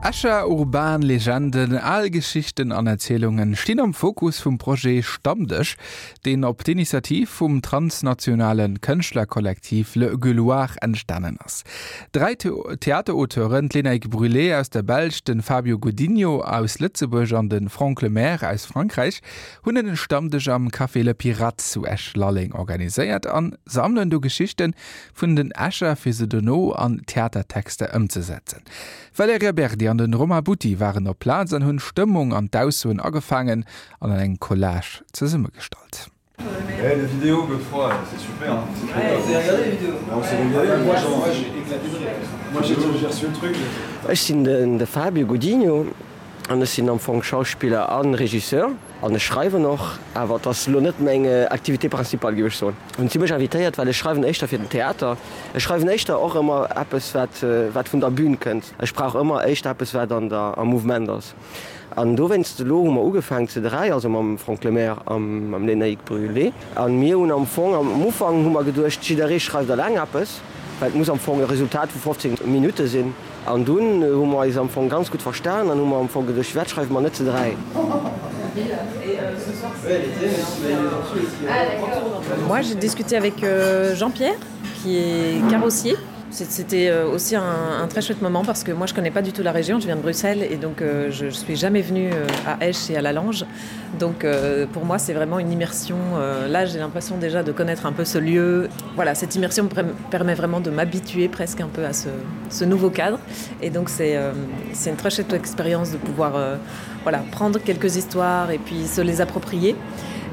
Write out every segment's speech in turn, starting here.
Escher urban Legenden, al Geschichten an Erzielungen stinn am Fokus vum Projet Stammdësch, deen op d'Initiativ vum transnationale Kënschtlerkollektiv Le Gueuloir entstanen ass. Dräi Theaterauteuren, d'Lénaïg Brulet aus der Belsch, de Fabio Godinho aus Lëtzebuerg an de Franck Lemaire aus Frankräich, hunn en Stammdësch am Café Le Pirate zu Esch-Lalleng organiséiert an sammelen do Geschichten vun den Escher fir se dono an Theatertexter ëmzesetzen. D'Valerija Berdi an den Romain Butti waren op Plaz an hunn d'Stëmmung an d'Aussoen agefaangen an an engem Collage zesummegestallt. Ech sinn de Fabio Godinho an ech sinn am Fong Schauspiller a Regisseur. An ech schreiwen och, awer et ass elo net meng Activité principale, géif ech soen. Hunn si mech invitéiert, well ech schreiwen éischter fir den Theater. Ech schreiwen éischter och ëmmer eppes, wat, wat vun der Bühn kënnt. Ech brauch ëmmer éischter eppes, wat an der, am Mouvement ass. An dowéinst, elo hu mer ugefaangen ze 3, also mam Franck Lemaire a mam Lénaïg Brulé. A mir hunn am Fong, am Ufank hu mer geduecht, jidderee schreift eleng eppes, well et muss am Fong e Resultat vu 15 Minutte sinn. An dunn hu mer eis am Fong ganz gutt verstan an hu mer am Fong geduecht, firwat schreiwe mer net ze 3? Moi j'ai discuté avec Jean-Pierre qui est carrossier. C'était aussi un, un très chouette moment parce que moi je connais pas du tout la région, je viens de Bruxelles et donc euh, je, je suis jamais venue à Esch et à la Lange. Donc euh, pour moi c'est vraiment une immersion. Euh, là j'ai l'impression déjà de connaître un peu ce lieu. Voilà cette immersion permet vraiment de m'habituer presque un peu à ce, ce nouveau cadre et donc c'est euh, une très chouette expérience de pouvoir euh, voilà, prendre quelques histoires et puis se les approprier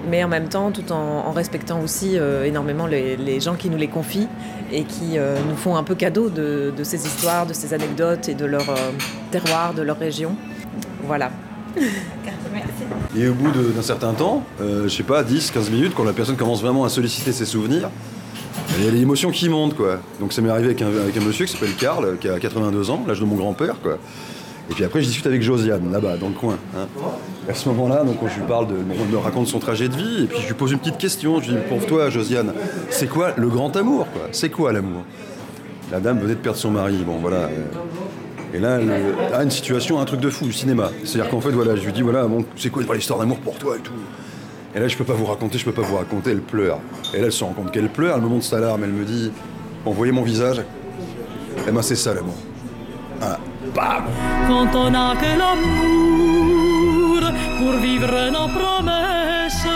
mais en même temps tout en, en respectant aussi euh, énormément les, les gens qui nous les confient et qui euh, nous font un peu cadeau de, de ces histoires, de ces anecdotes et de leur euh, terroir, de leur région. Voilà. Et au bout d'un certain temps, euh, je sais pas 10, 15 minutes, quand la personne commence vraiment à solliciter ses souvenirs, il y a l'émotion qui monte quoi. Donc ça m'est arrivé avec un, avec un monsieur qui s'appelle Karl, qui a 82 ans, l'âge de mon grand-père quoi. Et puis après je discute avec Josiane là-bas dans le coin. Hein. À ce moment-là, donc je lui parle de on me raconte son trajet de vie et puis je lui pose une petite question, je lui dis pour toi Josiane, c'est quoi le grand amour quoi C'est quoi l'amour La dame venait de perdre son mari, bon voilà. Et là, elle a une situation, un truc de fou du cinéma. C'est-à-dire qu'en fait voilà, je lui dis voilà, bon, c'est quoi l'histoire d'amour pour toi et tout. Et là je peux pas vous raconter, je peux pas vous raconter, elle pleure. Et là elle se rend compte qu'elle pleure, elle me montre sa larme, elle me dit bon, voyez mon visage, eh ben c'est ça l'amour. Voilà. Bam Quand on a que l'amour pour vivre nos promesses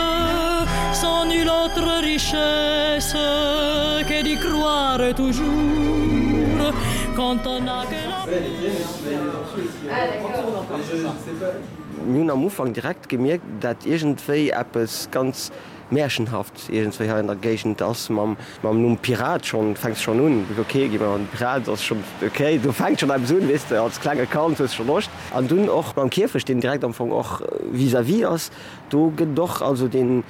sans nulle autre richesse que d'y croire toujours quand on a que Mir hunn am Ufank direkt gemierkt, dat iergendwéi eppes ganz Märchenhaft iergendwéi hei an der Géigend ass mam mam Numm Pirat schonn, fänks schonn un, ok, gi mer an Pirat ass schonn ok, do fänkt schonn eppes un, weess de, als klenge Kand hues scho Loscht. An dunn och mam Kierfecht, deen direkt am Fong och vis-à-vis ass, do gëtt et och also deen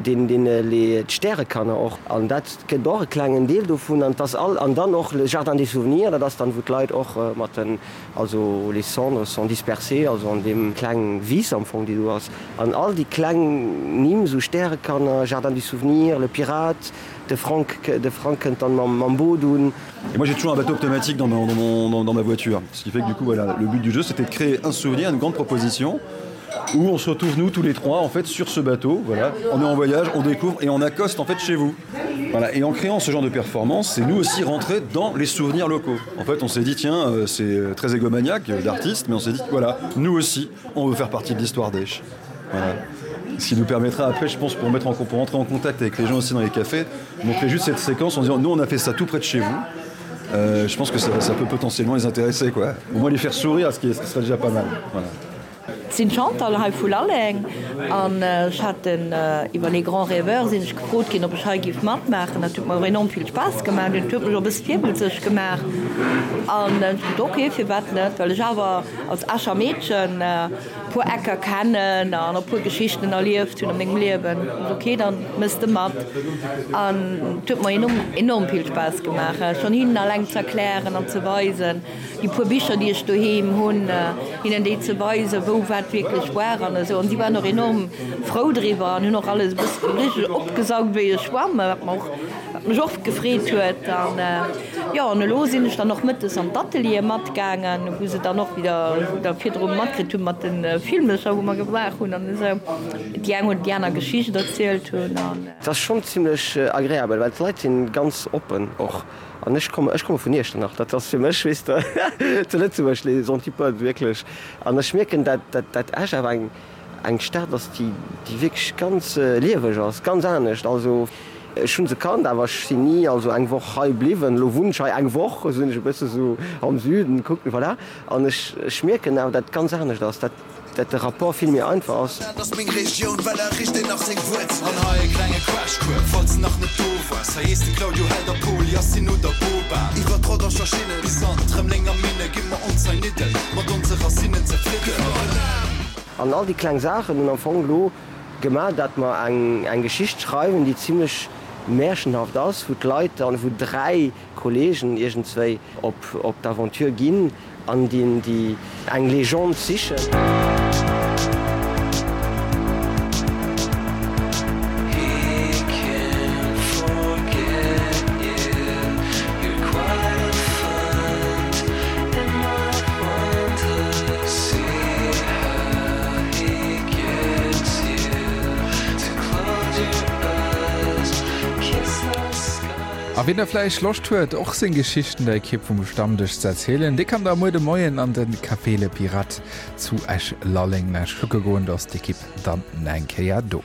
deen deen les d'Stärekanner och an dat gëtt och e klengen Deel dovun an 't ass all an dann och le Jardin des souvenirs, dat ass dann wou d'Leit och mat den also les cendres sont dispersées, also an deem kleng Wiss am Fong déi do ass an all déi kleng Nimm, esou Stärekanner, Jardin du souvenir, le Pirate, de Franck, de Franck kënnt dann mam mam Boot un. Et moi j'ai toujours un bateau automatique dans dans mon dans, dans ma voiture, ce qui fait que du coup voilà, le but du jeu c'était de créer un souvenir, une grande proposition où on se retrouve nous tous les trois en fait sur ce bateau voilà on est en voyage on découvre et on accoste en fait chez vous voilà et en créant ce genre de performance c'est nous aussi rentrer dans les souvenirs locaux en fait on s'est dit tiens euh, c'est euh, très égomaniaque euh, d'artistes mais on s'est dit voilà nous aussi on veut faire partie de l'histoire d'Esch voilà ce qui nous permettra après je pense pour mettre en pour entrer en contact avec les gens aussi dans les cafés montrer juste cette séquence en disant nous on a fait ça tout près de chez vous euh, je pense que ça, ça peut potentiellement les intéresser quoi au moins les faire sourire ce qui, ce qui serait déjà pas mal voilà Sinn d'Chantal hei vu Lalleng an ech hat den iwwer Les Grands Rêveurs sinn ech gefrot ginn, ob ech hei giff matmaachen. Dat huet mer och enorm vill Spaass gemaach. Dat huet mech och e bësse virwëlzeg gemaach an ech gesot, ok, firwat net, well ech awer als Escher Meedchen e puer Ecker kennen an e puer Geschichten erlieft hunn a mengem Liewen. Ok, dann mëss de mat an et huet mer enorm, enorm vill Spaass gemaach, schonn hinnen alleng ze erklären an ze weisen. Déi puer Bicher, déi ech doheem hunn, hinnen déi ze weisen, wou wat wierklech war an esou. An si waren och enorm frou driwwer an hunn och alles e bëssen richteg opgesaugt wéi e Schwamm, wat mer och, wat. mech och gefreet huet. An jo, an elo sinn ech dann och mëttes an d'Ateliere matgaangen, wou se dann och wieder da virdru matkritt hunn mat de Filmecher, wou mer gemaach hunn an esou. Déi eng oder déi aner Geschicht erzielt hunn. An. Et ass schonn zimlech agreabel, well d'Leit si ganz oppen och. An ech komme, ech komme vun Iechternach, dat ass fir mech, weess de, zu Lëtzebuerg les antipodes wierklech. An ech mierken, dat, dat, dat Esch awer eng, eng Stad ass, déi, déi wierklech ganz lieweg ass, ganz anescht. Also ech hu se kannt, awer ech sinn ni also eng Woch hei bliwwen. Elo wunnen ech hei eng Woch, sinn ech e bësse sou am Süden, kucken, voilà. An ech, ech mierken awer, dat et ganz anescht ass, dat. Dat de Rapport vill méi einfach ass. Dat ass meng Regioun, well a richt een nach seng Wuerzel. An hei e klenge Crashcours, falls de nach net do waars. Hei heesst de Claudio Held a Pol, Yacine oder Boban. Iwwer d'Rodanger Schinne bis an d'Rëmelenger Minne gi mer ons hei nidden, mat onse Racinnen zefridden. An all déi kleng Saachen hunn am Fong elo gemaach, dat mer eng Geschicht schreiwen, déi zimlech märchenhaft ass, wou d'Leit dann, wou 3 Kollegen iergendswéi op d'Aventure ginn an déi eng Legende sichen. A wien da vläicht Loscht huet, och seng Geschichten der Ekipp vum Stammdësch ze erzielen, dee kann da muer de Moien an de Café Le Pirate zu Esch-Lalleng kucke goen. Do ass d'Ekipp dann eng Kéier do.